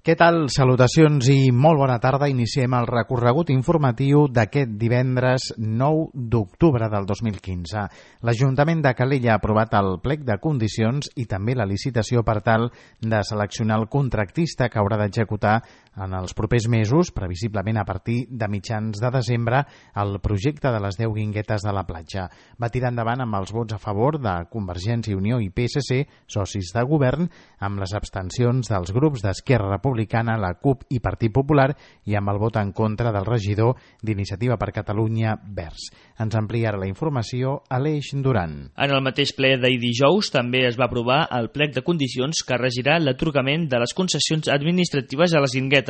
Què tal? Salutacions i molt bona tarda. Iniciem el recorregut informatiu d'aquest divendres 9 d'octubre del 2015. L'Ajuntament de Calella ha aprovat el plec de condicions i també la licitació per tal de seleccionar el contractista que haurà d'executar en els propers mesos, previsiblement a partir de mitjans de desembre, el projecte de les 10 guinguetes de la platja. Va tirar endavant amb els vots a favor de Convergència i Unió i PSC, socis de govern, amb les abstencions dels grups d'Esquerra Republicana, la CUP i Partit Popular i amb el vot en contra del regidor d'Iniciativa per Catalunya Verds. Ens amplia la informació Aleix Duran. En el mateix ple d'ahir dijous també es va aprovar el plec de condicions que regirà l'atorgament de les concessions administratives a les guinguetes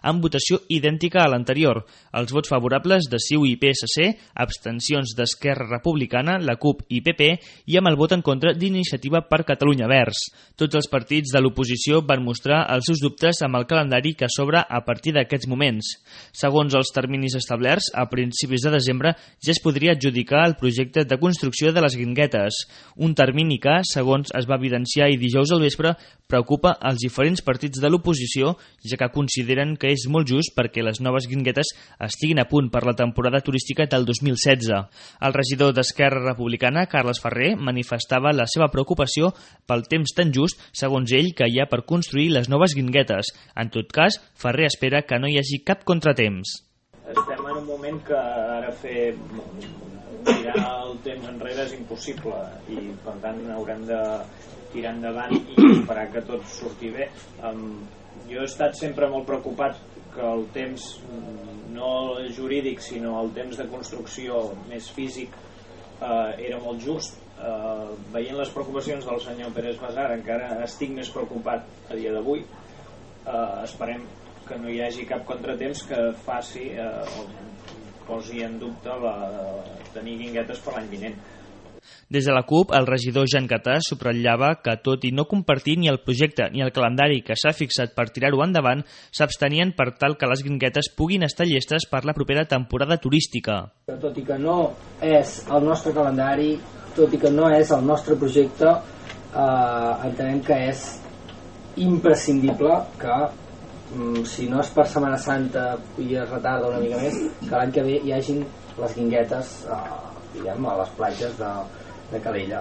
amb votació idèntica a l'anterior. Els vots favorables de CiU i PSC, abstencions d'Esquerra Republicana, la CUP i PP i amb el vot en contra d'Iniciativa per Catalunya Verds. Tots els partits de l'oposició van mostrar els seus dubtes amb el calendari que s'obre a partir d'aquests moments. Segons els terminis establerts, a principis de desembre ja es podria adjudicar el projecte de construcció de les guinguetes, un termini que, segons es va evidenciar i dijous al vespre, preocupa als diferents partits de l'oposició, ja que consideren que és molt just perquè les noves guinguetes estiguin a punt per la temporada turística del 2016. El regidor d'Esquerra Republicana, Carles Ferrer, manifestava la seva preocupació pel temps tan just, segons ell, que hi ha per construir les noves guinguetes. En tot cas, Ferrer espera que no hi hagi cap contratemps. Estem en un moment que ara tirar el temps enrere és impossible i per tant haurem de tirar endavant i esperar que tot surti bé. Jo he estat sempre molt preocupat que el temps, no jurídic sinó el temps de construcció més físic era molt just. Veient les preocupacions del senyor Pérez Basar encara estic més preocupat a dia d'avui. Esperem que no hi hagi cap contratemps que faci posi en dubte tenir guinguetes per l'any vinent. Des de la CUP, el regidor Jan Catà subratllava que, tot i no compartir ni el projecte ni el calendari que s'ha fixat per tirar-ho endavant, s'abstenien per tal que les guinguetes puguin estar llestes per la propera temporada turística. Tot i que no és el nostre calendari, tot i que no és el nostre projecte, entenem que és imprescindible que, si no és per Setmana Santa i es retarda una mica més, que l'any que ve hi hagin les guinguetes a les platges de Calella.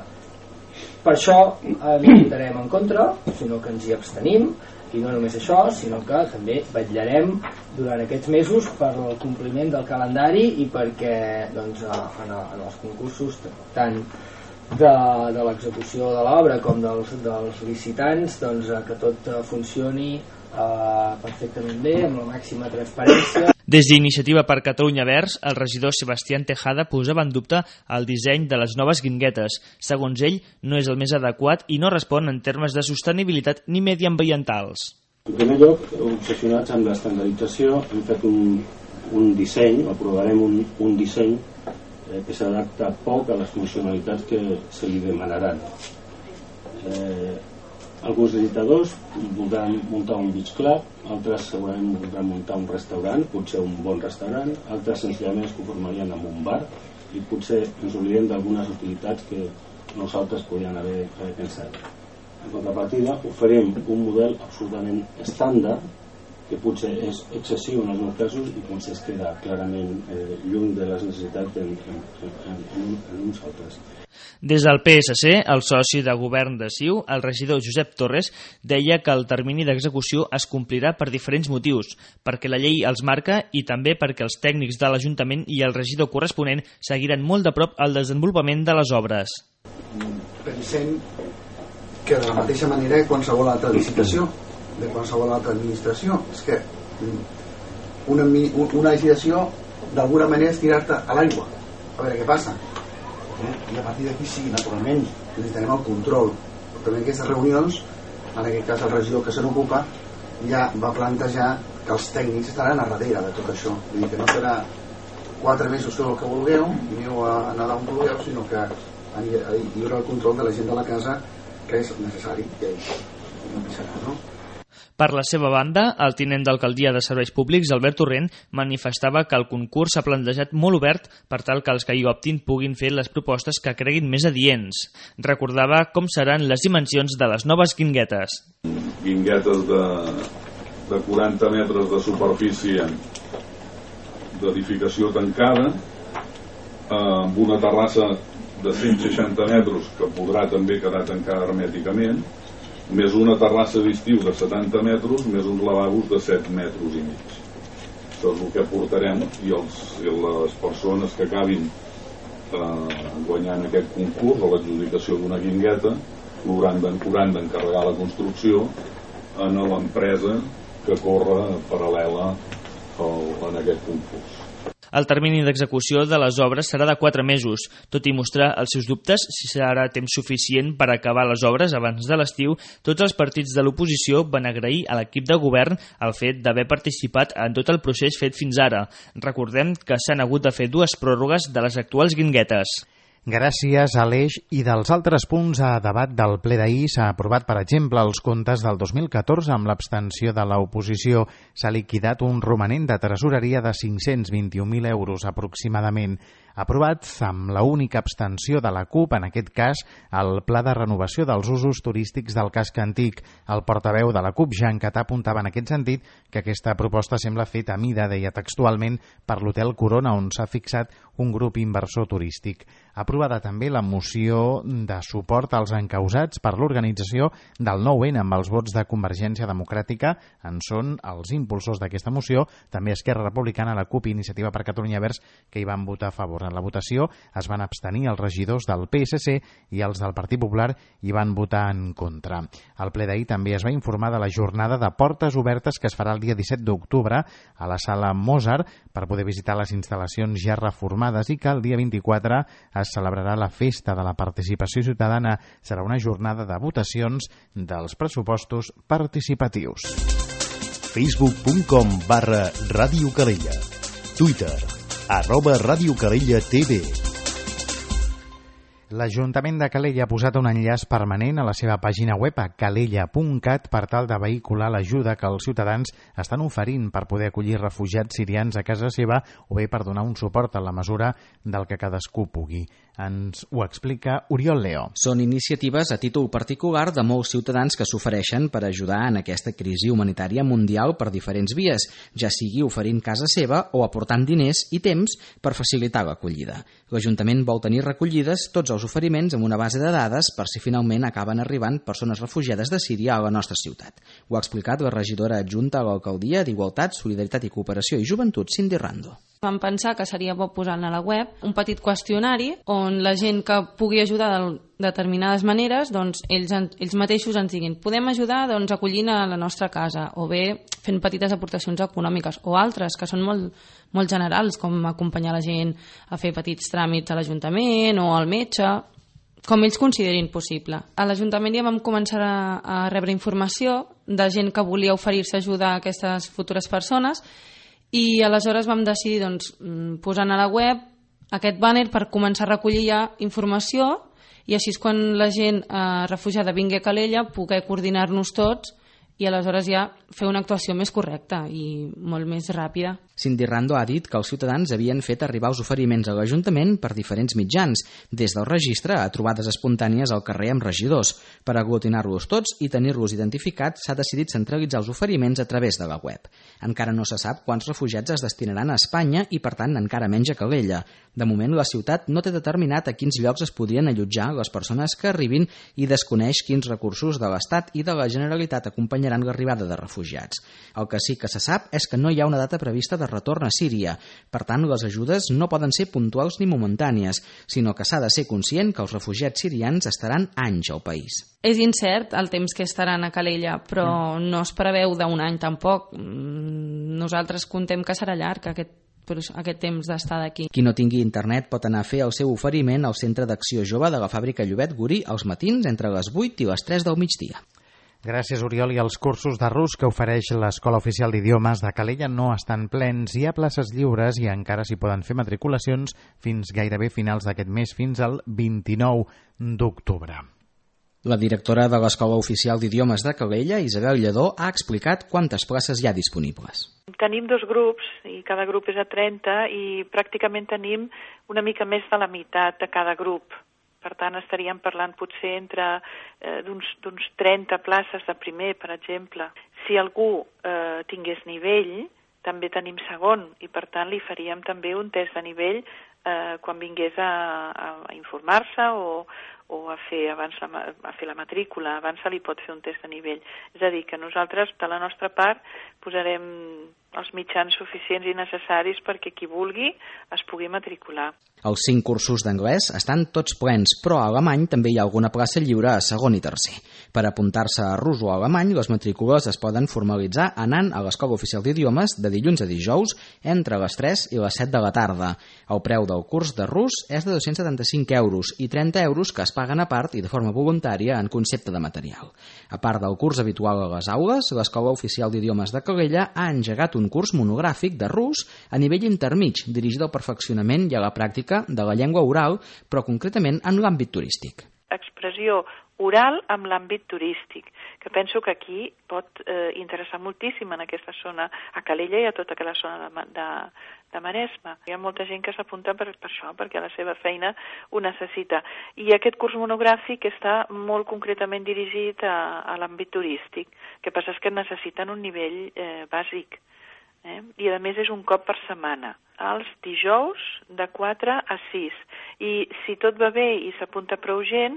Per això no votarem en contra, sinó que ens hi abstenim, i no només això, sinó que també vetllarem durant aquests mesos per al compliment del calendari i perquè en els concursos tant de l'execució de l'obra com dels licitants que tot funcioni perfectament bé, amb la màxima transparència. Des d'Iniciativa per Catalunya Verds, el regidor Sebastián Tejada posava en dubte el disseny de les noves guinguetes. Segons ell, no és el més adequat i no respon en termes de sostenibilitat ni mediambientals. En primer lloc, obsessionats amb l'estandardització, hem fet un disseny, aprovarem un disseny que s'adapta poc a les funcionalitats que se li demanaran. Alguns licitadors voldran muntar un beach club, altres segurament voldran muntar un restaurant, potser un bon restaurant, altres senzillament es conformarien amb un bar i potser ens oblidem d'algunes utilitats que nosaltres podríem haver pensat. En contrapartida, oferim un model absolutament estàndard que potser és excessiu en alguns casos i potser es queda clarament lluny de les necessitats en uns altres. Des del PSC, el soci de govern de CiU, el regidor Josep Torres, deia que el termini d'execució es complirà per diferents motius, perquè la llei els marca i també perquè els tècnics de l'Ajuntament i el regidor corresponent seguiran molt de prop el desenvolupament de les obres. Pensem que de la mateixa manera que qualsevol altra licitació, de qualsevol altra administració, és que una licitació d'alguna manera és tirar-te a l'aigua a veure què passa. I a partir d'aquí sí, naturalment necessitarem el control, però també en aquestes reunions, en aquest cas el regidor que se n'ocupa ja va plantejar que els tècnics estaran a darrere de tot això, vull dir que no serà 4 mesos tot el que vulgueu i aneu a nedar on vulgueu, sinó que hi haurà el control de la gent de la casa que és necessari, que no serà, no? Per la seva banda, el tinent d'alcaldia de Serveis Públics, Albert Torrent, manifestava que el concurs s'ha plantejat molt obert per tal que els que hi optin puguin fer les propostes que creguin més adients. Recordava com seran les dimensions de les noves guinguetes. Guinguetes de 40 metres de superfície d'edificació tancada, amb una terrassa de 160 metres que podrà també quedar tancada hermèticament, més una terrassa d'estiu de 70 metres, més uns lavabos de 7 metres i mig. Això és el que portarem, i les persones que acabin guanyant aquest concurs o l'adjudicació d'una guingueta hauran d'encarregar la construcció a l'empresa que corre paral·lela en aquest concurs. El termini d'execució de les obres serà de 4 mesos. Tot i mostrar els seus dubtes si serà temps suficient per acabar les obres abans de l'estiu, tots els partits de l'oposició van agrair a l'equip de govern el fet d'haver participat en tot el procés fet fins ara. Recordem que s'han hagut de fer 2 pròrrogues de les actuals guinguetes. Gràcies, Aleix. I dels altres punts a debat del ple d'ahir s'ha aprovat, per exemple, els comptes del 2014 amb l'abstenció de l'oposició. S'ha liquidat un romanent de tresoreria de 521.000 euros aproximadament. Aprovats amb la única abstenció de la CUP, en aquest cas, el Pla de Renovació dels Usos Turístics del Casc Antic. El portaveu de la CUP, Jean Catà, apuntava en aquest sentit que aquesta proposta sembla feta a mida, deia textualment, per l'Hotel Corona, on s'ha fixat un grup inversor turístic. Aprovada també la moció de suport als encausats per l'organització del 9-N amb els vots de Convergència Democràtica. En són els impulsors d'aquesta moció, també Esquerra Republicana, la CUP i Iniciativa per Catalunya Verds, que hi van votar a favor. En la votació es van abstenir els regidors del PSC i els del Partit Popular hi van votar en contra. Al ple d'ahir també es va informar de la jornada de portes obertes que es farà el dia 17 d'octubre a la sala Mozart per poder visitar les instal·lacions ja reformades i que el dia 24 es celebrarà la festa de la participació ciutadana. Serà una jornada de votacions dels pressupostos participatius. Facebook.com/Ràdio Calella. Twitter @Ràdio Calella TV. L'Ajuntament de Calella ha posat un enllaç permanent a la seva pàgina web a calella.cat per tal de vehicular l'ajuda que els ciutadans estan oferint per poder acollir refugiats sirians a casa seva o bé per donar un suport a la mesura del que cadascú pugui. Ens ho explica Oriol Leo. Són iniciatives a títol particular de molts ciutadans que s'ofereixen per ajudar en aquesta crisi humanitària mundial per diferents vies, ja sigui oferint casa seva o aportant diners i temps per facilitar l'acollida. L'Ajuntament vol tenir recollides tots els oferiments amb una base de dades per si finalment acaben arribant persones refugiades de Síria a la nostra ciutat. Ho ha explicat la regidora adjunta a l'Alcaldia d'Igualtat, Solidaritat i Cooperació i Joventut, Cindy Rando. Vam pensar que seria bo posar a la web un petit qüestionari on la gent que pugui ajudar de determinades maneres, doncs ells mateixos ens diguin podem ajudar acollint a la nostra casa o bé fent petites aportacions econòmiques o altres que són molt generals, com acompanyar la gent a fer petits tràmits a l'Ajuntament o al metge, com ells considerin possible. A l'Ajuntament ja vam començar a rebre informació de gent que volia oferir-se a ajudar a aquestes futures persones i aleshores vam decidir posant a la web aquest banner per començar a recollir ja informació i així és quan la gent refugiada vingui a Calella poder coordinar-nos tots i aleshores ja fer una actuació més correcta i molt més ràpida. Cindy Rando ha dit que els ciutadans havien fet arribar els oferiments a l'Ajuntament per diferents mitjans, des del registre a trobades espontànies al carrer amb regidors. Per aglutinar-los tots i tenir-los identificats s'ha decidit centralitzar els oferiments a través de la web. Encara no se sap quants refugiats es destinaran a Espanya i, per tant, encara menys a Calella. De moment, la ciutat no té determinat a quins llocs es podrien allotjar les persones que arribin i desconeix quins recursos de l'Estat i de la Generalitat acompanyaran l'arribada de refugiats. El que sí que se sap és que no hi ha una data prevista de retorn a Síria. Per tant, les ajudes no poden ser puntuals ni momentànies, sinó que s'ha de ser conscient que els refugiats sirians estaran anys al país. És incert el temps que estaran a Calella, però no es preveu d'un any tampoc. Nosaltres contem que serà llarg aquest temps d'estar d'aquí. Qui no tingui internet pot anar a fer el seu oferiment al Centre d'Acció Jove de la Fàbrica Llobet Gurí als matins entre les 8 i les 3 del migdia. Gràcies, Oriol. I els cursos de rus que ofereix l'Escola Oficial d'Idiomes de Calella no estan plens. Hi ha places lliures i encara s'hi poden fer matriculacions fins gairebé finals d'aquest mes, fins al 29 d'octubre. La directora de l'Escola Oficial d'Idiomes de Calella, Isabel Lledó, ha explicat quantes places hi ha disponibles. Tenim 2 grups i cada grup és a 30 i pràcticament tenim una mica més de la meitat de cada grup. Per tant, estaríem parlant potser entre d'uns 30 places de primer, per exemple. Si algú tingués nivell, també tenim segon, i per tant li faríem també un test de nivell quan vingués a informar-se o a fer la matrícula. Abans se li pot fer un test de nivell. És a dir, que nosaltres, de la nostra part, posarem els mitjans suficients i necessaris perquè qui vulgui es pugui matricular. Els 5 cursos d'anglès estan tots plens, però a alemany també hi ha alguna plaça lliure a segon i tercer. Per apuntar-se a rus o alemany, les matrícules es poden formalitzar anant a l'Escola Oficial d'Idiomes de dilluns a dijous entre les 3 i les 7 de la tarda. El preu del curs de rus és de 275 euros i 30 euros que es paguen a part i de forma voluntària en concepte de material. A part del curs habitual a les aules, l'Escola Oficial d'Idiomes de Calella ha engegat un curs monogràfic de rus a nivell intermig, dirigit al perfeccionament i a la pràctica de la llengua oral, però concretament en l'àmbit turístic. Expressió oral amb l'àmbit turístic, que penso que aquí pot interessar moltíssim en aquesta zona, a Calella i a tota aquella zona de Maresme. Hi ha molta gent que s'apunta per això, perquè la seva feina ho necessita. I aquest curs monogràfic està molt concretament dirigit a l'àmbit turístic. El que passa és que necessiten un nivell bàsic. I a més és un cop per setmana, els dijous de 4 a 6. I si tot va bé i s'apunta prou gent,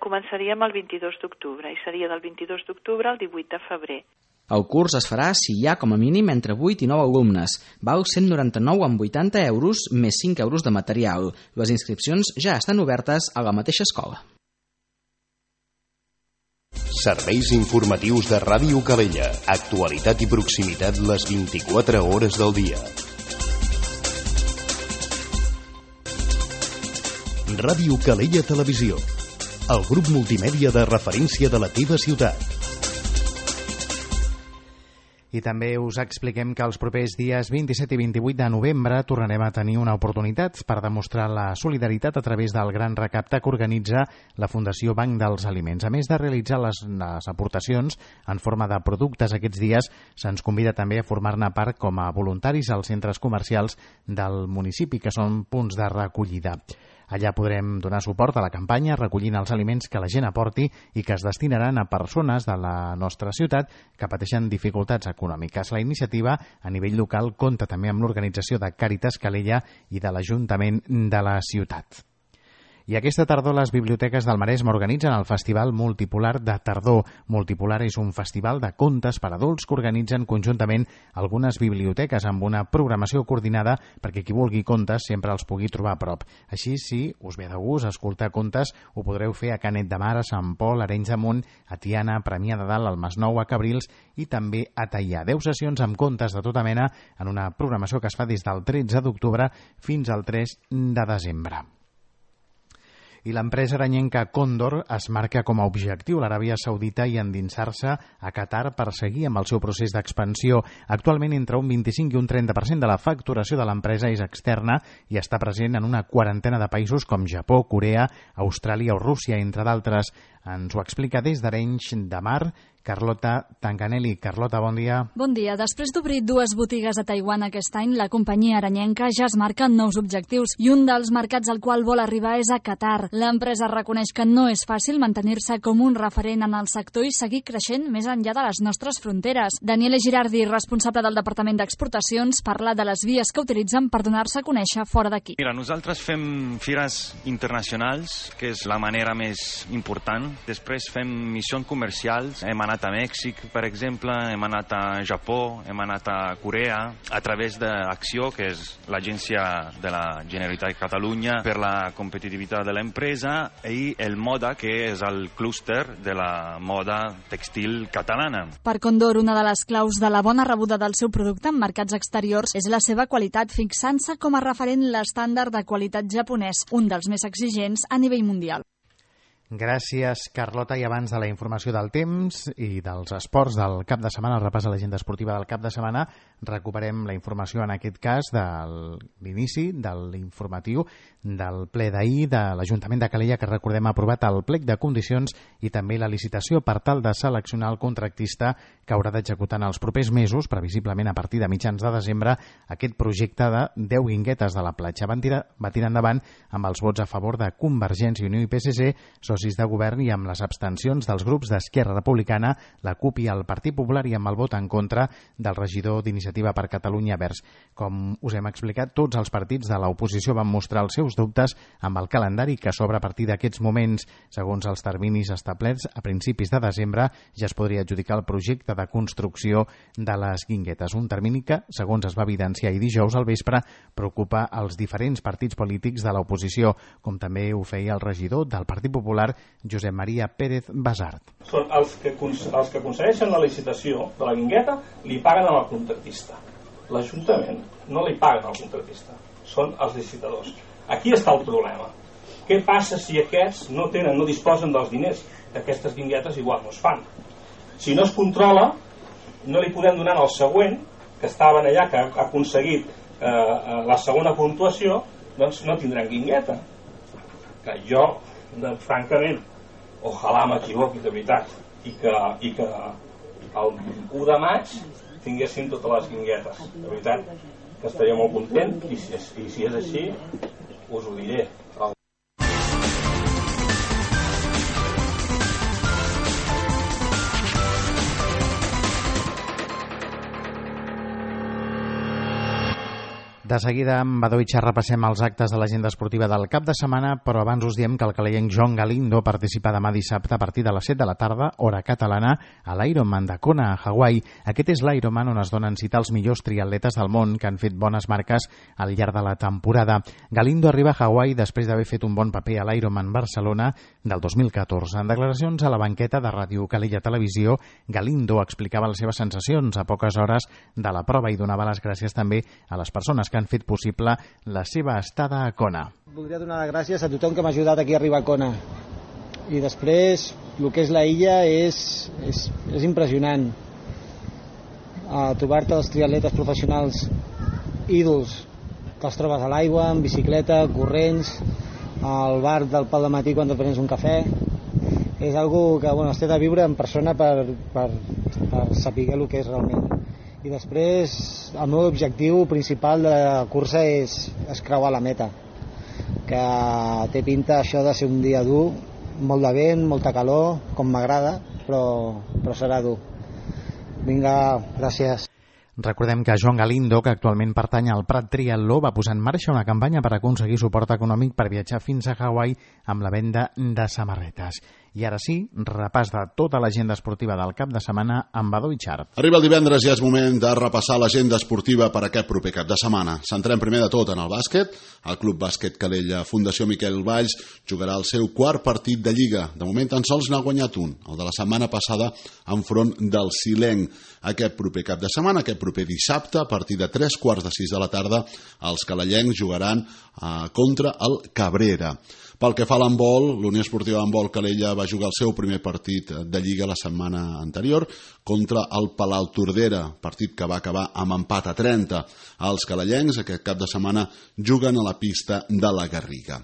començaríem el 22 d'octubre i seria del 22 d'octubre al 18 de febrer. El curs es farà si hi ha com a mínim entre 8 i 9 alumnes. Val 199,80 euros més 5 euros de material. Les inscripcions ja estan obertes a la mateixa escola. Serveis informatius de Ràdio Calella. Actualitat i proximitat les 24 hores del dia. Ràdio Calella Televisió. El grup multimèdia de referència de la teva ciutat. I també us expliquem que els propers dies 27 i 28 de novembre tornarem a tenir una oportunitat per demostrar la solidaritat a través del gran recapte que organitza la Fundació Banc dels Aliments. A més de realitzar les aportacions en forma de productes aquests dies, se'ns convida també a formar-ne part com a voluntaris als centres comercials del municipi, que són punts de recollida. Allà podrem donar suport a la campanya recollint els aliments que la gent aporti i que es destinaran a persones de la nostra ciutat que pateixen dificultats econòmiques. La iniciativa a nivell local compta també amb l'organització de Càritas Calella i de l'Ajuntament de la ciutat. I aquesta tardor les biblioteques del Maresme organitzen el Festival Multipolar de Tardor. Multipolar és un festival de contes per adults que organitzen conjuntament algunes biblioteques amb una programació coordinada perquè qui vulgui contes sempre els pugui trobar a prop. Així, si us ve de gust escoltar contes, ho podreu fer a Canet de Mar, a Sant Pol, a Arenys de Munt, a Tiana, a Premià de Dalt, al Masnou, a Cabrils i també a Teià. 10 sessions amb contes de tota mena en una programació que es fa des del 13 d'octubre fins al 3 de desembre. I l'empresa aranyenca Còndor es marca com a objectiu l'Aràbia Saudita i endinsar-se a Qatar per seguir amb el seu procés d'expansió. Actualment entre un 25 i un 30% de la facturació de l'empresa és externa i està present en una quarantena de països com Japó, Corea, Austràlia o Rússia, entre d'altres. Ens ho explica des d'Arenys de Mar Carlota Tanganelli. Carlota, bon dia. Bon dia. Després d'obrir 2 botigues a Taiwan aquest any, la companyia aranyenca ja es marca nous objectius i un dels mercats al qual vol arribar és a Qatar. L'empresa reconeix que no és fàcil mantenir-se com un referent en el sector i seguir creixent més enllà de les nostres fronteres. Daniele Girardi, responsable del Departament d'Exportacions, parla de les vies que utilitzen per donar-se a conèixer fora d'aquí. Mira, nosaltres fem fires internacionals, que és la manera més important. Després fem missions comercials. Hem anat a Mèxic, per exemple, hem anat a Japó, hem anat a Corea, a través d'Acció, que és l'agència de la Generalitat de Catalunya per la competitivitat de l'empresa, i el Moda, que és el clúster de la moda textil catalana. Per Còndor, una de les claus de la bona rebuda del seu producte en mercats exteriors és la seva qualitat, fixant-se com a referent l'estàndard de qualitat japonès, un dels més exigents a nivell mundial. Gràcies, Carlota. I abans de la informació del temps i dels esports del cap de setmana, el repàs a l'agenda esportiva del cap de setmana, recuperem la informació, en aquest cas, de l'inici de l'informatiu del ple d'ahir de l'Ajuntament de Calella, que recordem ha aprovat el plec de condicions i també la licitació per tal de seleccionar el contractista que haurà d'executar en els propers mesos, previsiblement a partir de mitjans de desembre, aquest projecte de 10 guinguetes de la platja. Va tirar endavant amb els vots a favor de Convergència i Unió i PSC, socis de govern i amb les abstencions dels grups d'Esquerra Republicana, la CUP i el Partit Popular i amb el vot en contra del regidor d'Iniciativa per Catalunya Verds. Com us hem explicat, tots els partits de l'oposició van mostrar els seus dubtes amb el calendari que s'obre a partir d'aquests moments. Segons els terminis establerts, a principis de desembre ja es podria adjudicar el projecte de construcció de les Guinguetes, un termini que, segons es va evidenciar ahir dijous al vespre, preocupa els diferents partits polítics de l'oposició, com també ho feia el regidor del Partit Popular, Josep Maria Pérez Basart. Són els que concedeixen la licitació de la Guingueta, li paguen al contractista. L'Ajuntament no li paguen al contractista, són els licitadors. Aquí està el problema. Què passa si aquests no disposen dels diners? Aquestes guinguetes igual no es fan. Si no es controla, no li podem donar al següent, que estaven allà, que ha aconseguit la segona puntuació, doncs no tindran guingueta. Que jo, francament, ojalà m'equivoqui de veritat, i que el 1 de maig tinguessin totes les guinguetes. De veritat que estaria molt content, i si és així us ho diré. De seguida, amb Badó i Xar repassem els actes de l'agenda esportiva del cap de setmana, però abans us diem que el calellenc Joan Galindo participa demà dissabte a partir de les 7 de la tarda, hora catalana, a l'Ironman de Kona, a Hawaii. Aquest és l'Ironman on es donen cita els millors triatletes del món que han fet bones marques al llarg de la temporada. Galindo arriba a Hawaii després d'haver fet un bon paper a l'Ironman Barcelona del 2014. En declaracions a la banqueta de Ràdio Calella Televisió, Galindo explicava les seves sensacions a poques hores de la prova i donava les gràcies també a les persones que han fet possible la seva estada a Kona. Voldria donar les gràcies a tothom que m'ha ajudat aquí a arribar a Kona. I després, el que és la illa és impressionant. Trobar-te els triatletes professionals ídols, que els trobes a l'aigua, en bicicleta, corrents, al bar del Pal de Matí quan et prens un cafè. És algo que es té de viure en persona per saber el que és realment. I després el meu objectiu principal de la cursa és creuar la meta, que té pinta això de ser un dia dur, molt de vent, molta calor, com m'agrada, però serà dur. Vinga, gràcies. Recordem que Joan Galindo, que actualment pertany al Prat Triatló, va posar en marxa una campanya per aconseguir suport econòmic per viatjar fins a Hawaii amb la venda de samarretes. I ara sí, repàs de tota l'agenda esportiva del cap de setmana amb Badó i Xar. Arriba el divendres i és moment de repassar l'agenda esportiva per aquest proper cap de setmana. Centrem primer de tot en el bàsquet. El Club Bàsquet Calella Fundació Miquel Valls jugarà el seu quart partit de Lliga. De moment tan sols n'ha guanyat un, el de la setmana passada enfront del Silenc. Aquest proper cap de setmana, aquest proper dissabte, a partir de 3:45 de la tarda, els calellencs jugaran contra el Cabrera. Pel que fa a l'handbol, l'Unió Esportiva d'Handbol Calella va jugar el seu primer partit de Lliga la setmana anterior contra el Palau Tordera, partit que va acabar amb empat a 30. Els calellencs aquest cap de setmana juguen a la pista de la Garriga.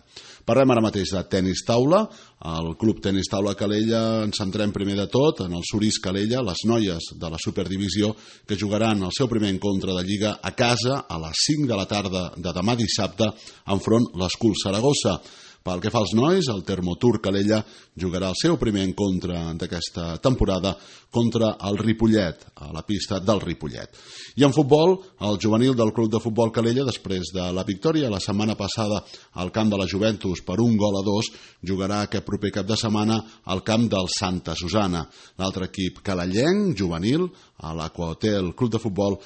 Parlem ara mateix de tenis taula. El Club Tenis Taula Calella ens centrem primer de tot en el Surís Calella, les noies de la Superdivisió, que jugaran el seu primer encontre de Lliga a casa a les 5 de la tarda de demà dissabte enfront l'Escul Saragossa. Pel que fa als nois, el Termotur Calella jugarà el seu primer encontre d'aquesta temporada contra el Ripollet, a la pista del Ripollet. I en futbol, el juvenil del Club de Futbol Calella, després de la victòria la setmana passada al camp de la Juventus per 1-2, jugarà aquest proper cap de setmana al camp del Santa Susana. L'altre equip calellenc, juvenil, a l'Aquahotel Club de Futbol,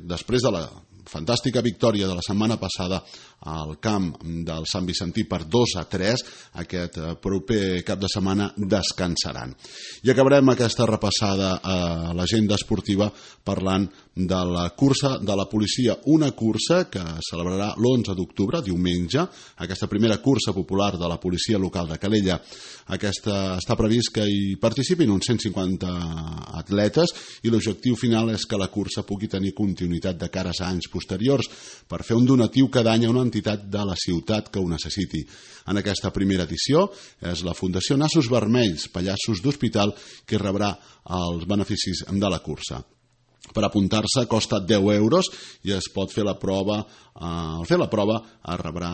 després de la fantàstica victòria de la setmana passada al camp del Sant Vicentí per 2-3, aquest proper cap de setmana descansaran. I acabarem aquesta repassada a l'agenda esportiva parlant de la cursa de la policia, una cursa que celebrarà l'11 d'octubre, diumenge, aquesta primera cursa popular de la policia local de Calella. Aquesta està previst que hi participin uns 150 atletes i l'objectiu final és que la cursa pugui tenir continuïtat de cares a anys posteriors per fer un donatiu cada any a una entitat de la ciutat que ho necessiti. En aquesta primera edició és la Fundació Nassos Vermells, Pallassos d'Hospital, que rebrà els beneficis de la cursa. Per apuntar-se costa 10 euros i es pot fer la prova. Al fer la prova es rebrà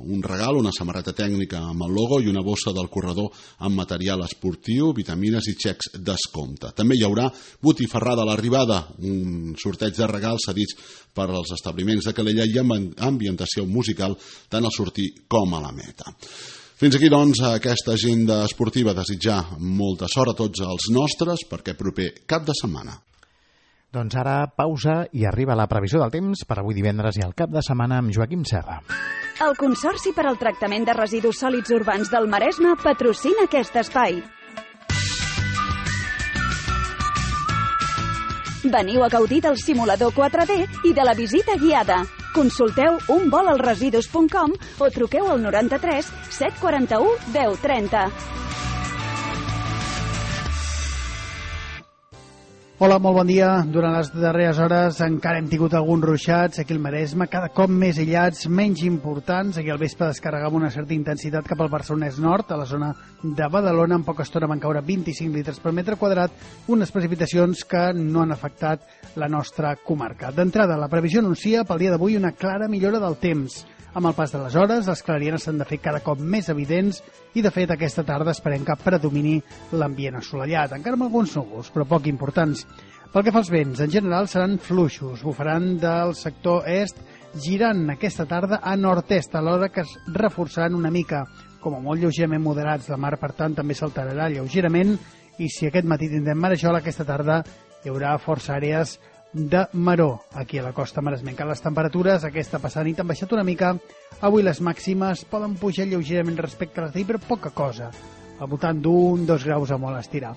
un regal, una samarreta tècnica amb el logo i una bossa del corredor amb material esportiu, vitamines i xecs descompte. També hi haurà botifarrada a l'arribada, un sorteig de regals cedits per als establiments de Calella i amb ambientació musical tant al sortir com a la meta. Fins aquí, doncs, aquesta agenda esportiva. Desitjar molta sort a tots els nostres per aquest proper cap de setmana. Doncs ara pausa i arriba la previsió del temps per avui divendres i el cap de setmana amb Joaquim Serra. El Consorci per al Tractament de Residus Sòlids Urbans del Maresme patrocina aquest espai. Veniu a gaudir del simulador 4D i de la visita guiada. Consulteu unvolalresidus.com o truqueu al 93 741 1030. Hola, molt bon dia. Durant les darreres hores encara hem tingut alguns ruixats aquí al Maresme, cada cop més aïllats, menys importants. Aquí al vespre descarregava una certa intensitat cap al Barcelonès Nord, a la zona de Badalona. En poca estona van caure 25 litres per metre quadrat, unes precipitacions que no han afectat la nostra comarca. D'entrada, la previsió anuncia pel dia d'avui una clara millora del temps. Amb el pas de les hores, les clarianes s'han de fer cada cop més evidents i, de fet, aquesta tarda esperem que predomini l'ambient assolellat, encara amb alguns núvols, però poc importants. Pel que fa als vents, en general seran fluixos, bufaran del sector est, girant aquesta tarda a nord-est, alhora que es reforçaran una mica, com a molt lleugerament moderats. La mar, per tant, també s'alterarà lleugerament, i si aquest matí tindrem marejola, aquesta tarda hi haurà força àrees de maror aquí a la costa maresmenca. Les temperatures aquesta passada nit han baixat una mica. Avui les màximes poden pujar lleugerament respecte a les d'ahir, però poca cosa, al voltant d'1-2 graus a molt estirar.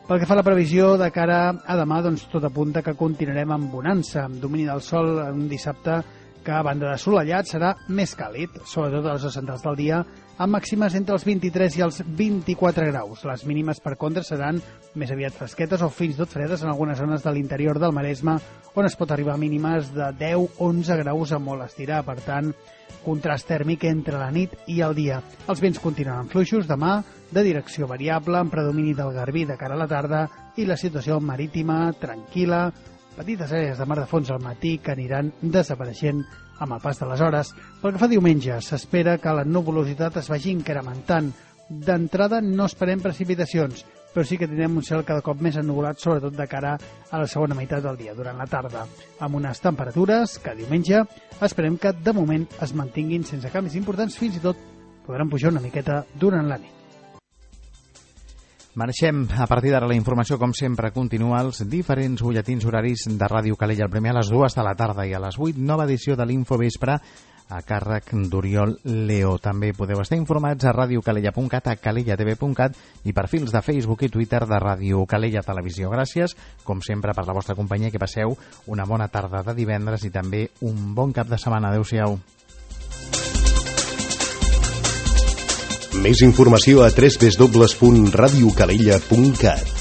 Pel que fa a la previsió de cara a demà, doncs tot apunta que continuarem amb bonança, amb domini del sol un dissabte que, a banda de assolellat, serà més càlid, sobretot a les hores centrals del dia, amb màximes entre els 23 i els 24 graus. Les mínimes, per contra, seran més aviat fresquetes o fins i tot fredes en algunes zones de l'interior del Maresme, on es pot arribar a mínimes de 10-11 graus a molt estirar. Per tant, contrast tèrmic entre la nit i el dia. Els vents continuaran fluixos demà, de direcció variable, amb predomini del garbí de cara a la tarda, i la situació marítima tranquil·la, petites àrees de mar de fons al matí que aniran desapareixent amb el pas de les hores. Pel que fa diumenge, s'espera que la nuvolositat es vagi incrementant. D'entrada no esperem precipitacions, però sí que tindrem un cel cada cop més ennuvolat, sobretot de cara a la segona meitat del dia, durant la tarda, amb unes temperatures que diumenge esperem que de moment es mantinguin sense canvis importants, fins i tot podran pujar una miqueta durant la nit. Marxem. A partir d'ara la informació, com sempre, continua als diferents butlletins horaris de Ràdio Calella. El primer a les 2 de la tarda i a les 8, nova edició de l'Infovespre a càrrec d'Oriol Leo. També podeu estar informats a radiocalella.cat, a calellatv.cat i perfils de Facebook i Twitter de Ràdio Calella Televisió. Gràcies, com sempre, per la vostra companyia. Que passeu una bona tarda de divendres i també un bon cap de setmana. Adéu-siau. Més informació a www.radiocalella.cat.